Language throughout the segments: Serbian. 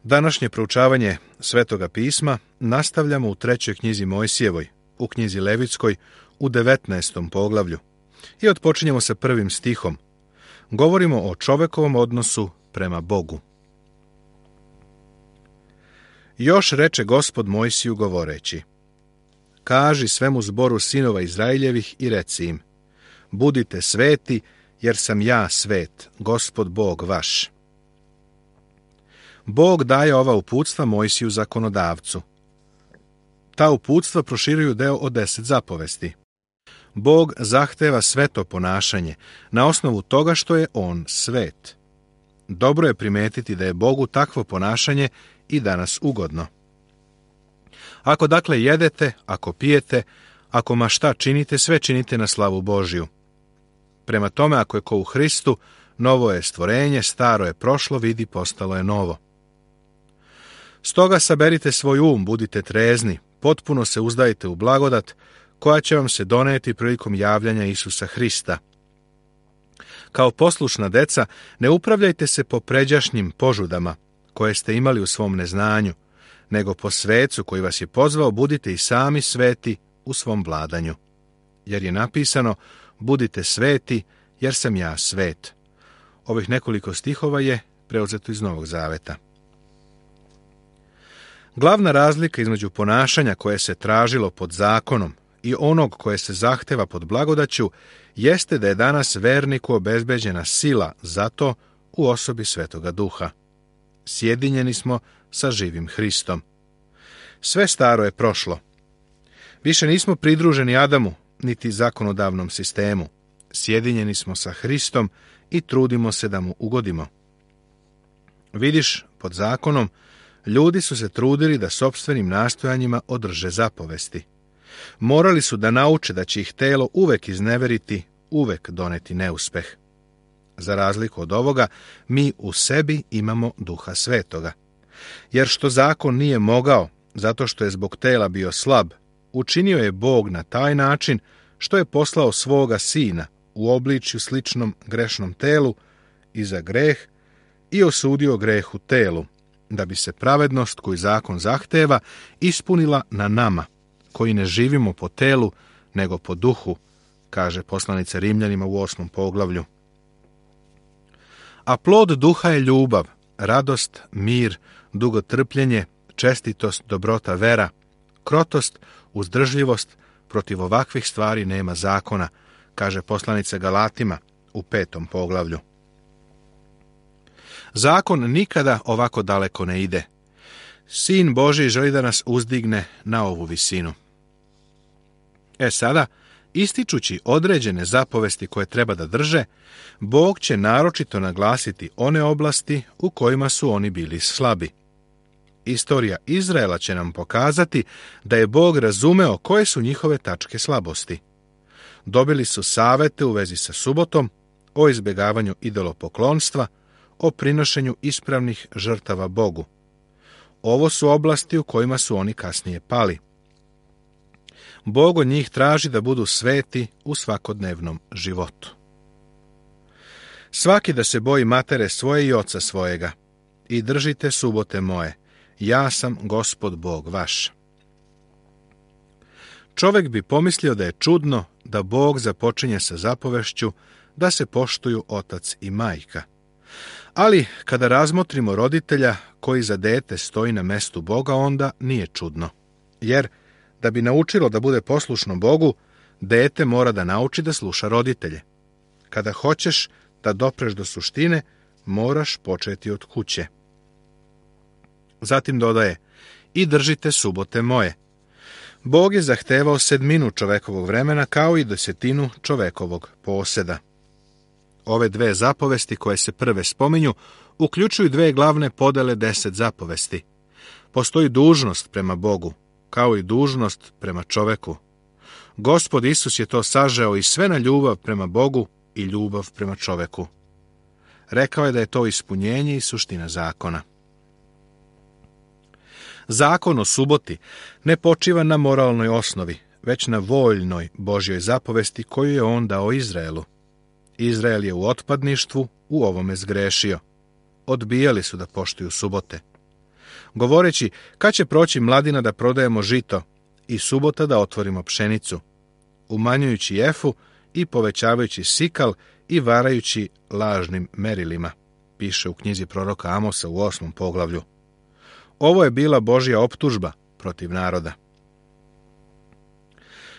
Današnje proučavanje Svetoga pisma nastavljamo u 3. knjizi Mojsijevoj, u knjizi Levitskoj, u 19. poglavlju. I otpočinjemo sa 1. stihom. Govorimo o čovekovom odnosu prema Bogu. Još reče Gospod Mojsiju govoreći: Kaži svemu zboru sinova Izraeljevih i reci im: Budite sveti, jer sam ja svet, Gospod Bog vaš. Bog daje ova uputstva Mojsiju zakonodavcu. Ta uputstva proširuju deo od 10 zapovesti. Bog zahteva sveto ponašanje na osnovu toga što je on svet. Dobro je primetiti da je Bogu takvo ponašanje i danas ugodno. Ako dakle jedete, ako pijete, ako ma šta činite, sve činite na slavu Božju. Prema tome, ako je ko u Hristu, novo je stvorenje, staro je prošlo, vidi, postalo je novo. Stoga saberite svoj budite trezni, potpuno se uzdajte u blagodat, koja će vam se doneti prilikom javljanja Isusa Hrista. Kao poslušna deca, ne upravljajte se po pređašnjim požudama, koje ste imali u svom neznanju, nego po svecu koji vas je pozvao, budite i sami sveti u svom vladanju. Jer je napisano: Budite sveti, jer sam ja svet. Ovih nekoliko stihova je preuzeto iz Novog Zaveta. Glavna razlika između ponašanja koje se tražilo pod zakonom i onog koje se zahteva pod blagodaću jeste da je danas verniku obezbeđena sila za to u osobi Svetoga Duha. Sjedinjeni smo sa živim Hristom. Sve staro je prošlo. Više nismo pridruženi Adamu, niti zakonodavnom sistemu. Sjedinjeni smo sa Hristom i trudimo se da mu ugodimo. Vidiš, pod zakonom, ljudi su se trudili da sopstvenim nastojanjima održe zapovesti. Morali su da nauče da će ih telo uvek izneveriti, uvek doneti neuspeh. Za razliku od ovoga, mi u sebi imamo Duha Svetoga. Jer što zakon nije mogao, zato što je zbog tela bio slab, učinio je Bog na taj način što je poslao svoga Sina u obličju sličnom grešnom telu i za greh i osudio greh u telu, da bi se pravednost koju zakon zahteva ispunila na nama, koji ne živimo po telu, nego po duhu, kaže poslanica Rimljanima u 8. poglavlju. A plod duha je ljubav, radost, mir, dugotrpljenje, čestitost, dobrota, vera, krotost, uzdržljivost. Protiv ovakvih stvari nema zakona, kaže poslanica Galatima u 5. poglavlju. Zakon nikada ovako daleko ne ide. Sin Božji želi da nas uzdigne na ovu visinu. Sada, ističući određene zapovesti koje treba da drže, Bog će naročito naglasiti one oblasti u kojima su oni bili slabi. Istorija Izraela će nam pokazati da je Bog razumeo koje su njihove tačke slabosti. Dobili su savete u vezi sa subotom, o izbjegavanju idolopoklonstva, o prinošenju ispravnih žrtava Bogu. Ovo su oblasti u kojima su oni kasnije pali. Bog od njih traži da budu sveti u svakodnevnom životu. Svaki da se boji matere svoje i oca svojega i držite subote moje. Ja sam Gospod Bog vaš. Čovjek bi pomislio da je čudno da Bog započinje sa zapovešću da se poštuju otac i majka. Ali kada razmotrimo roditelja koji za dete stoji na mestu Boga, onda nije čudno. Jer da bi naučilo da bude poslušno Bogu, dete mora da nauči da sluša roditelje. Kada hoćeš da dopreš do suštine, moraš početi od kuće. Zatim dodaje: I držite subote moje. Bog je zahtevao sedminu čovekovog vremena kao i 10 čovekovog poseda. Ove 2 zapovesti koje se prve spominju uključuju 2 glavne podele 10 zapovesti. Postoji dužnost prema Bogu, kao i dužnost prema čoveku. Gospod Isus je to sažeo i sve na ljubav prema Bogu i ljubav prema čoveku. Rekao je da je to ispunjenje i suština zakona. Zakon o suboti ne počiva na moralnoj osnovi, već na voljnoj Božjoj zapovesti koju je on dao Izraelu. Izrael je u otpadništvu u ovome zgrešio. Odbijali su da poštuju subote. govoreći kad će proći mladina da prodajemo žito i subota da otvorimo pšenicu, umanjujući efu i povećavajući sikal i varajući lažnim merilima, piše u knjizi proroka Amosa u 8. poglavlju. Ovo je bila Božja optužba protiv naroda.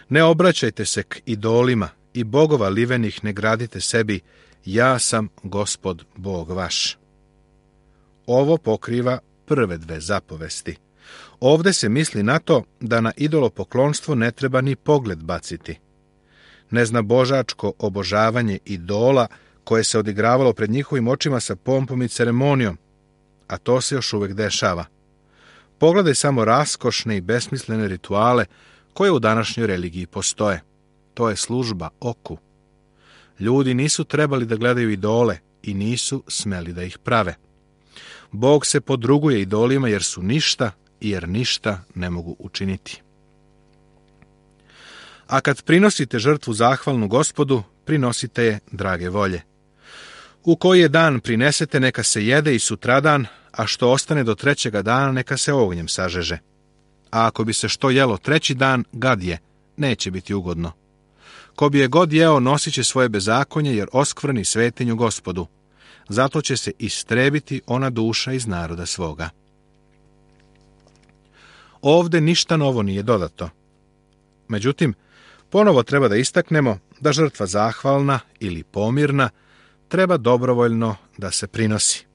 Ne obraćajte se k idolima i bogova livenih ne gradite sebi, ja sam Gospod Bog vaš. Ovo pokriva prve dve zapovesti. Ovde se misli na to da na idolopoklonstvo ne treba ni pogled baciti. Neznabožačko obožavanje idola koje se odigravalo pred njihovim očima sa pompom i ceremonijom, a to se još uvek dešava. Pogledaj samo raskošne i besmislene rituale koje u današnjoj religiji postoje. To je služba oku. Ljudi nisu trebali da gledaju idole i nisu smeli da ih prave. Bog se podruguje idolima jer su ništa i jer ništa ne mogu učiniti. A kad prinosite žrtvu zahvalnu Gospodu, prinosite je drage volje. U koji je dan prinesete, neka se jede i sutradan, a što ostane do trećega dana, neka se ognjem sažeže. A ako bi se što jelo treći dan, gad je, neće biti ugodno. Ko bi je god jeo, nosit će svoje bezakonje, jer oskvrni svetinju Gospodu. Zato će se istrebiti ona duša iz naroda svoga. Ovde ništa novo nije dodato. Međutim, ponovo treba da istaknemo da žrtva zahvalna ili pomirna treba dobrovoljno da se prinosi.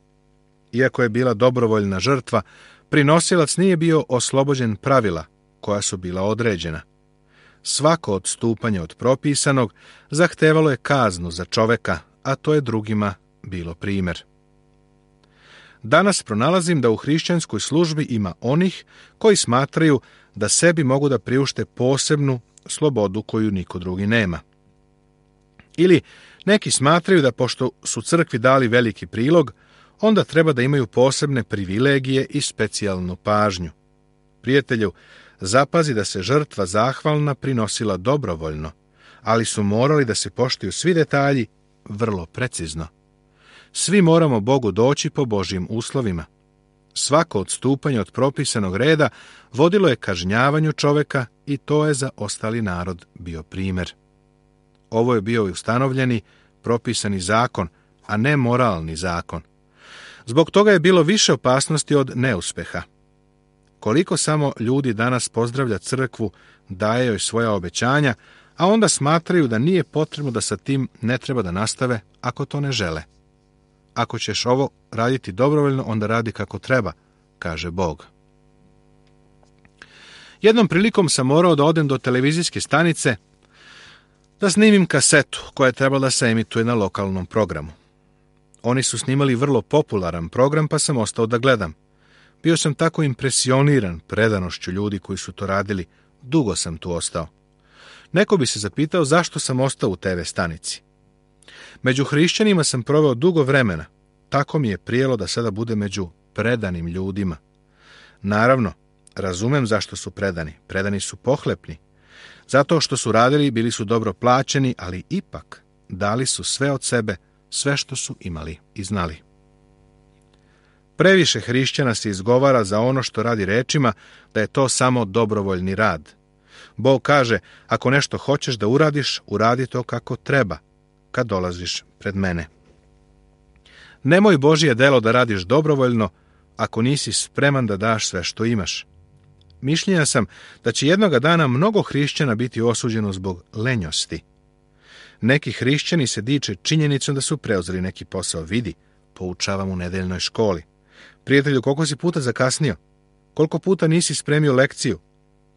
Iako je bila dobrovoljna žrtva, prinosilac nije bio oslobođen pravila koja su bila određena. Svako odstupanje od propisanog zahtevalo je kaznu za čoveka, a to je drugima bilo primjer. Danas pronalazim da u hrišćanskoj službi ima onih koji smatraju da sebi mogu da priušte posebnu slobodu koju niko drugi nema. Ili neki smatraju da pošto su crkvi dali veliki prilog, onda treba da imaju posebne privilegije i specijalnu pažnju. Prijatelju, zapazi da se žrtva zahvalna prinosila dobrovoljno, ali su morali da se poštuju svi detalji vrlo precizno. Svi moramo Bogu doći po Božjim uslovima. Svako odstupanje od propisanog reda vodilo je kažnjavanju čoveka i to je za ostali narod bio primjer. Ovo je bio ustanovljeni, propisani zakon, a ne moralni zakon. Zbog toga je bilo više opasnosti od neuspeha. Koliko samo ljudi danas pozdravlja crkvu, daje joj svoja obećanja, a onda smatraju da nije potrebno da sa tim ne treba da nastave ako to ne žele. Ako ćeš ovo raditi dobrovoljno, onda radi kako treba, kaže Bog. Jednom prilikom sam morao da odem do televizijske stanice da snimim kasetu koja je trebala da se emituje na lokalnom programu. Oni su snimali vrlo popularan program, pa sam ostao da gledam. Bio sam tako impresioniran predanošću ljudi koji su to radili, dugo sam tu ostao. Neko bi se zapitao zašto sam ostao u TV stanici. Među hrišćanima sam proveo dugo vremena, tako mi je prijelo da sada bude među predanim ljudima. Naravno, razumem zašto su predani su pohlepni. Zato što su radili, bili su dobro plaćeni, ali ipak dali su sve od sebe, sve što su imali i znali. Previše hrišćana se izgovara za ono što radi rečima da je to samo dobrovoljni rad. Bog kaže, ako nešto hoćeš da uradiš, uradi to kako treba, kad dolaziš pred mene. Nemoj Božje delo da radiš dobrovoljno ako nisi spreman da daš sve što imaš. Mišljenja sam da će jednoga dana mnogo hrišćana biti osuđeno zbog lenjosti. Neki hrišćani se diče činjenicom da su preuzeli neki posao. Vidi, poučavam u nedeljnoj školi. Prijatelju, koliko si puta zakasnio? Koliko puta nisi spremio lekciju?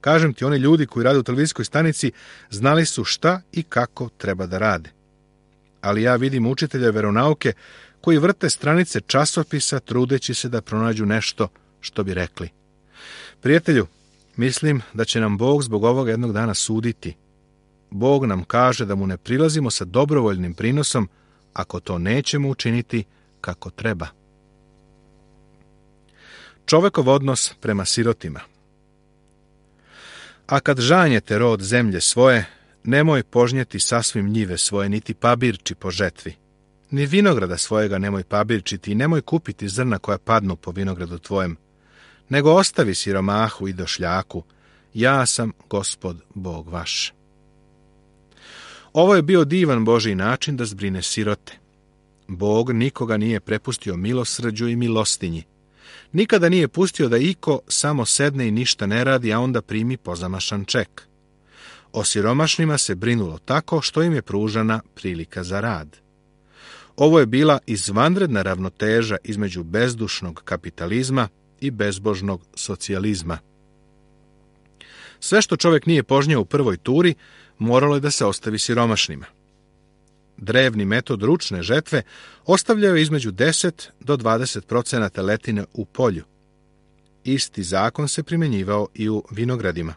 Kažem ti, oni ljudi koji rade u televizijskoj stanici znali su šta i kako treba da rade. Ali ja vidim učitelja veronauke koji vrte stranice časopisa trudeći se da pronađu nešto što bi rekli. Prijatelju, mislim da će nam Bog zbog ovoga jednog dana suditi. Bog nam kaže da mu ne prilazimo sa dobrovoljnim prinosom ako to nećemo učiniti kako treba. Čovekov odnos prema sirotima. A kad žanjete rod zemlje svoje, nemoj požnjeti sasvim njive svoje, niti pabirči po žetvi. Ni vinograda svojega nemoj pabirčiti i nemoj kupiti zrna koja padnu po vinogradu tvojem. nego ostavi siromahu i došljaku, ja sam Gospod Bog vaš. Ovo je bio divan Božji način da zbrine sirote. Bog nikoga nije prepustio milosrđu i milostinji. Nikada nije pustio da iko samo sedne i ništa ne radi, a onda primi pozamašan ček. O siromašnima se brinulo tako što im je pružana prilika za rad. Ovo je bila izvanredna ravnoteža između bezdušnog kapitalizma i bezbožnog socijalizma. Sve što čovjek nije požnjao u prvoj turi, moralo je da se ostavi siromašnima. Drevni metod ručne žetve ostavljao je između 10 do 20% letine u polju. Isti zakon se primjenjivao i u vinogradima.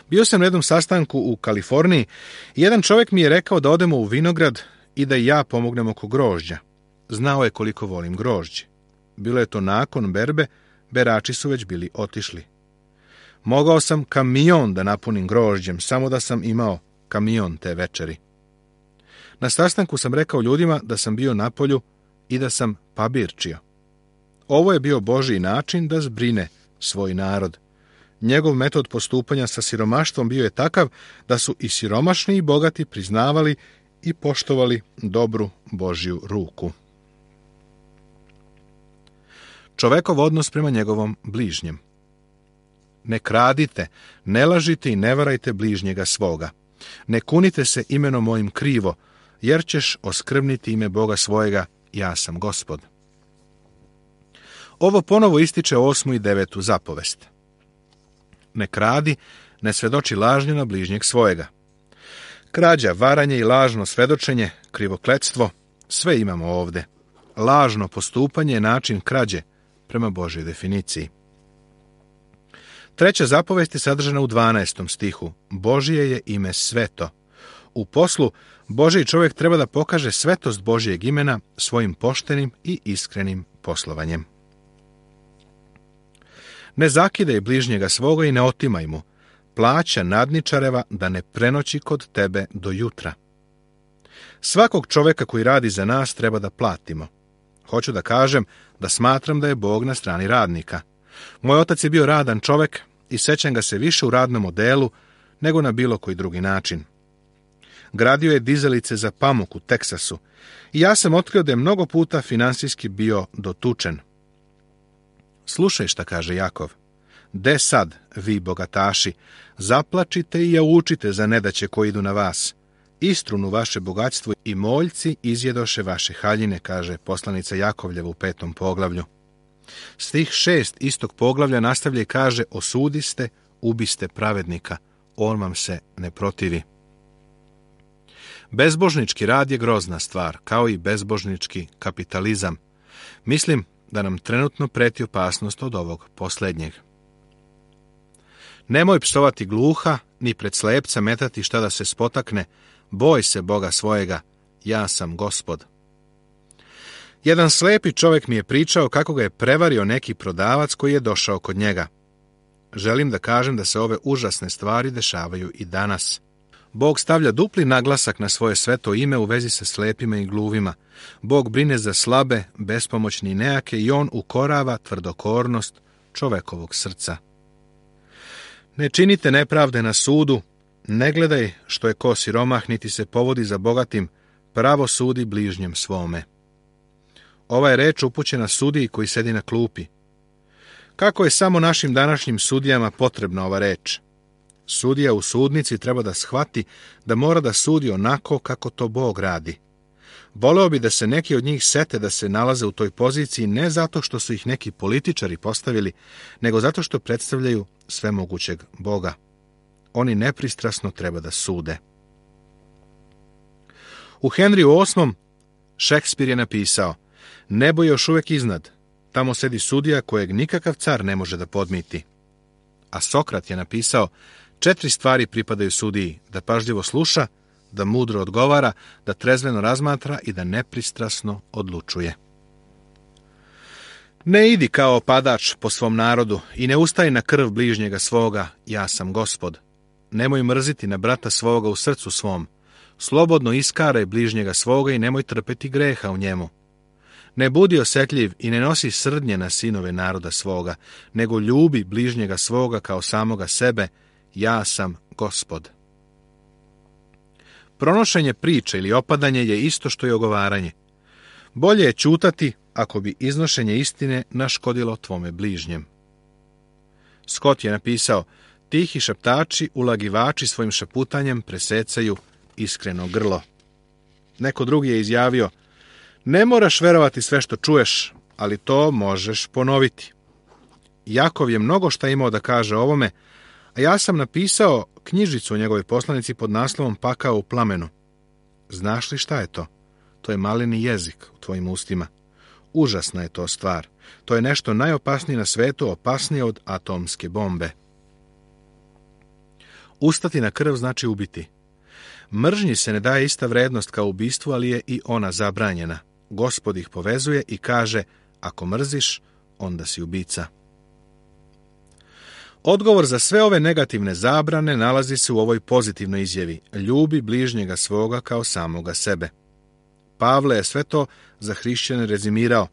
Bio sam na jednom sastanku u Kaliforniji i jedan čovjek mi je rekao da odemo u vinograd i da i ja pomognem oko grožđa. Znao je koliko volim grožđe. Bilo je to nakon berbe, berači su već bili otišli. Mogao sam kamion da napunim grožđem, samo da sam imao kamion te večeri. Na sastanku sam rekao ljudima da sam bio na polju i da sam pabirčio. Ovo je bio Božji način da zbrine svoj narod. Njegov metod postupanja sa siromaštvom bio je takav da su i siromašni i bogati priznavali i poštovali dobru Božju ruku. Čovekov odnos prema njegovom bližnjem. Ne kradite, ne lažite i ne varajte bližnjega svoga. Ne kunite se imenom mojim krivo, jer ćeš oskvrniti ime Boga svojega, ja sam Gospod. Ovo ponovo ističe 8. i 9. zapovest. Ne kradi, ne svedoči lažnje na bližnjeg svojega. Krađa, varanje i lažno svedočenje, krivokletstvo, sve imamo ovde. Lažno postupanje je način krađe prema Božjoj definiciji. 3. zapovest je sadržana u 12. stihu. Božje je ime sveto. U poslu, Božji čovjek treba da pokaže svetost Božjeg imena svojim poštenim i iskrenim poslovanjem. Ne zakidaj bližnjega svoga i ne otimaj mu. Plaća nadničareva da ne prenoći kod tebe do jutra. Svakog čovjeka koji radi za nas treba da platimo. Hoću da kažem da smatram da je Bog na strani radnika. Moj otac je bio radan čovjek i sećam ga se više u radnom odelu nego na bilo koji drugi način. Gradio je dizalice za pamuk u Teksasu i ja sam otkrio da je mnogo puta finansijski bio dotučen. Slušaj šta kaže Jakov. De sad, vi bogataši, zaplačite i jaučite za nedaće koji idu na vas. Istrunu vaše bogatstvo i moljci izjedoše vaše haljine, kaže poslanica Jakovljeva u 5. poglavlju. Stih 6 istog poglavlja nastavlja i kaže: osudiste, ubiste pravednika, on vam se ne protivi. Bezbožnički rad je grozna stvar, kao i bezbožnički kapitalizam. Mislim da nam trenutno preti opasnost od ovog posljednjeg. Nemoj psovati gluha, ni pred slepca metati šta da se spotakne, boj se Boga svojega, ja sam Gospod. Jedan slepi čovjek mi je pričao kako ga je prevario neki prodavac koji je došao kod njega. Želim da kažem da se ove užasne stvari dešavaju i danas. Bog stavlja dupli naglasak na svoje sveto ime u vezi sa slepima i gluvima. Bog brine za slabe, bespomoćne i nejake i on ukorava tvrdokornost čovekovog srca. Ne činite nepravde na sudu, ne gledaj što je ko siromah, niti se povodi za bogatim, pravo sudi bližnjem svome. Ova je reč upućena sudiji koji sedi na klupi. Kako je samo našim današnjim sudijama potrebna ova reč? Sudija u sudnici treba da shvati da mora da sudi onako kako to Bog radi. Voleo bi da se neki od njih sete da se nalaze u toj poziciji ne zato što su ih neki političari postavili, nego zato što predstavljaju svemogućeg Boga. Oni nepristrasno treba da sude. U Henriju VIII. Šekspir je napisao: nebo je još uvijek iznad, tamo sedi sudija kojeg nikakav car ne može da podmiti. A Sokrat je napisao: 4 stvari pripadaju sudiji, da pažljivo sluša, da mudro odgovara, da trezveno razmatra i da nepristrasno odlučuje. Ne idi kao padač po svom narodu i ne ustaj na krv bližnjega svoga, ja sam Gospod. Nemoj mrziti na brata svoga u srcu svom. Slobodno iskaraj bližnjega svoga i nemoj trpeti greha u njemu. Ne budi osjetljiv i ne nosi srdnje na sinove naroda svoga, nego ljubi bližnjega svoga kao samoga sebe, ja sam Gospod. Pronošenje priče ili opadanje je isto što i ogovaranje. Bolje je ćutati ako bi iznošenje istine naškodilo tvome bližnjem. Scott je napisao, tihi šaptači, ulagivači svojim šaputanjem presecaju iskreno grlo. Neko drugi je izjavio, ne moraš verovati sve što čuješ, ali to možeš ponoviti. Jakov je mnogo šta imao da kaže o ovome, a ja sam napisao knjižicu o njegovoj poslanici pod naslovom Pakao u plamenu. Znaš li šta je to? To je maleni jezik u tvojim ustima. Užasna je to stvar. To je nešto najopasnije na svetu, opasnije od atomske bombe. Ustati na krv znači ubiti. Mržnji se ne daje ista vrednost kao ubistvu, ali je i ona zabranjena. Gospod ih povezuje i kaže, ako mrziš, onda si ubica. Odgovor za sve ove negativne zabrane nalazi se u ovoj pozitivnoj izjavi. Ljubi bližnjega svoga kao samoga sebe. Pavle je sve to za hrišćane rezimirao.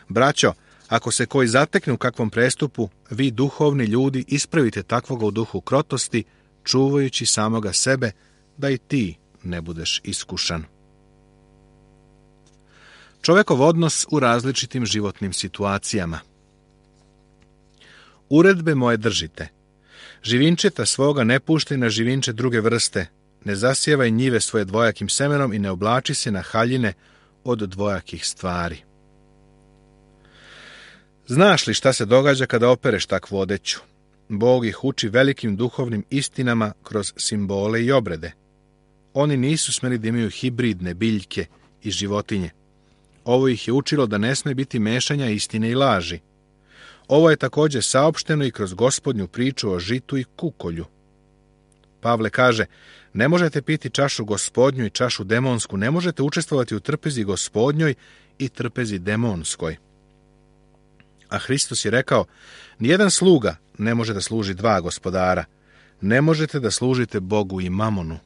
Braćo, ako se koji zatekne u kakvom prestupu, vi duhovni ljudi ispravite takvoga u duhu krotosti, čuvajući samoga sebe, da i ti ne budeš iskušan. Čovekov odnos u različitim životnim situacijama. Uredbe moje držite. Živinčeta svoga ne puštaj na živinče druge vrste, ne zasjevaj njive svoje dvojakim semenom i ne oblači se na haljine od dvojakih stvari. Znaš li šta se događa kada opereš takvu odeću? Bog ih uči velikim duhovnim istinama kroz simbole i obrede. Oni nisu smeli da imaju hibridne biljke i životinje. Ovo ih je učilo da ne sme biti mešanja istine i laži. Ovo je također saopšteno i kroz Gospodnju priču o žitu i kukolju. Pavle kaže, ne možete piti čašu Gospodnju i čašu demonsku, ne možete učestvovati u trpezi Gospodnjoj i trpezi demonskoj. A Hristos je rekao, nijedan sluga ne može da služi dva gospodara. Ne možete da služite Bogu i mamonu.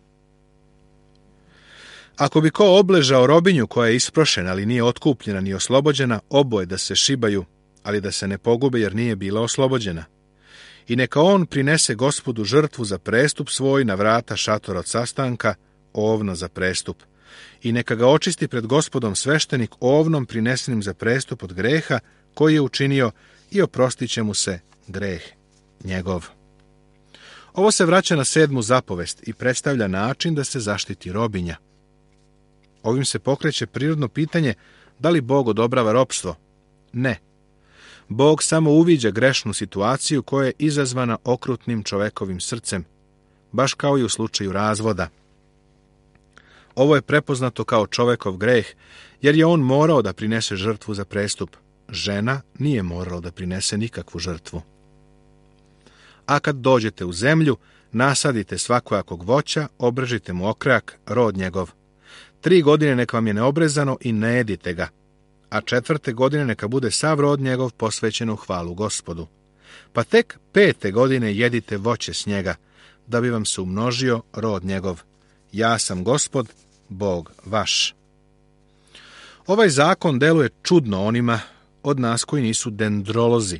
Ako bi ko obležao robinju koja je isprošena, ali nije otkupljena ni oslobođena, oboje da se šibaju, ali da se ne pogube jer nije bila oslobođena. I neka on prinese Gospodu žrtvu za prestup svoj na vrata šatora od sastanka, ovno za prestup. I neka ga očisti pred Gospodom sveštenik ovnom prinesenim za prestup od greha koji je učinio i oprostit će mu se greh njegov. Ovo se vraća na 7. zapovest i predstavlja način da se zaštiti robinja. Ovim se pokreće prirodno pitanje da li Bog odobrava ropstvo. Ne. Bog samo uviđa grešnu situaciju koja je izazvana okrutnim čovekovim srcem, baš kao i u slučaju razvoda. Ovo je prepoznato kao čovekov greh, jer je on morao da prinese žrtvu za prestup. Žena nije morala da prinese nikakvu žrtvu. A kad dođete u zemlju, nasadite svakojakog voća, obrežite mu okrajak, rod njegov. 3 godine neka vam je neobrezano i ne jedite ga, a 4. godine neka bude sav rod njegov posvećen u hvalu Gospodu. Pa tek 5. godine jedite voće s njega, da bi vam se umnožio rod njegov. Ja sam Gospod, Bog vaš. Ovaj zakon deluje čudno onima od nas koji nisu dendrolozi.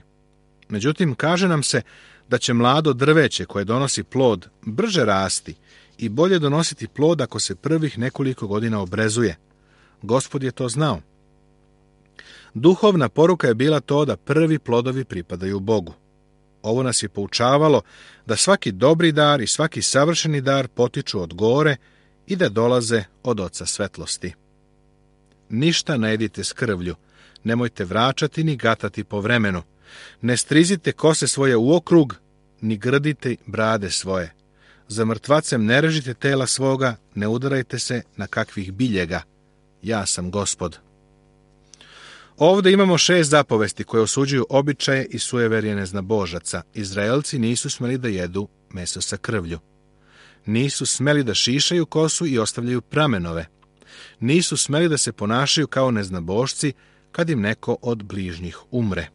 Međutim, kaže nam se da će mlado drveće koje donosi plod brže rasti i bolje donositi plod ako se prvih nekoliko godina obrezuje. Gospod je to znao. Duhovna poruka je bila to da prvi plodovi pripadaju Bogu. Ovo nas je poučavalo da svaki dobri dar i svaki savršeni dar potiču od gore i da dolaze od Oca svetlosti. Ništa ne jedite s krvlju, nemojte vraćati ni gatati po vremenu, ne strizite kose svoje u okrug, ni grdite brade svoje. Za mrtvacem ne režite tela svoga, ne udarajte se na kakvih biljega. Ja sam Gospod. Ovdje imamo 6 zapovesti koje osuđuju običaje i sujeverje neznabožaca. Izraelci nisu smeli da jedu meso sa krvlju. Nisu smeli da šišaju kosu i ostavljaju pramenove. Nisu smeli da se ponašaju kao neznabošci kad im neko od bližnjih umre.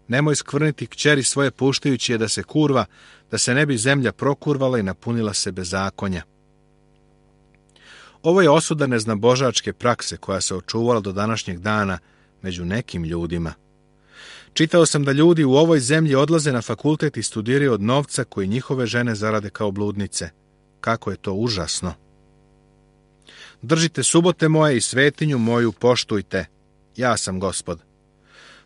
Nemoj skvrniti kćeri svoje puštajući je da se kurva, da se ne bi zemlja prokurvala i napunila se bezakonja. Ovo je osuda neznabožačke prakse koja se očuvala do današnjeg dana među nekim ljudima. Čitao sam da ljudi u ovoj zemlji odlaze na fakultet i studiraju od novca koji njihove žene zarade kao bludnice. Kako je to užasno! Držite subote moje i svetinju moju poštujte. Ja sam Gospod.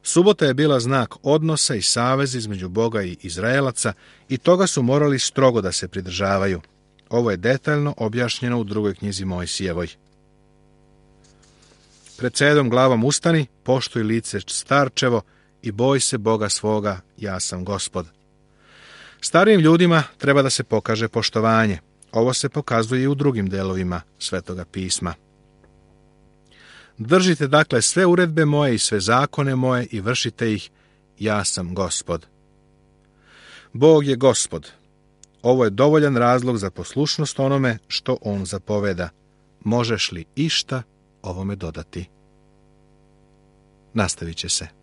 Subota je bila znak odnosa i saveza između Boga i Izraelaca i toga su morali strogo da se pridržavaju. Ovo je detaljno objašnjeno u 2. knjizi Mojsijevoj. Pred 7 glavom ustani, poštuj lice starčevo i boj se Boga svoga, ja sam Gospod. Starijim ljudima treba da se pokaže poštovanje. Ovo se pokazuje i u drugim delovima Svetoga pisma. Držite dakle sve uredbe moje i sve zakone moje i vršite ih, ja sam Gospod. Bog je Gospod. Ovo je dovoljan razlog za poslušnost onome što on zapoveda. Možeš li išta ovome dodati? Nastavit će se.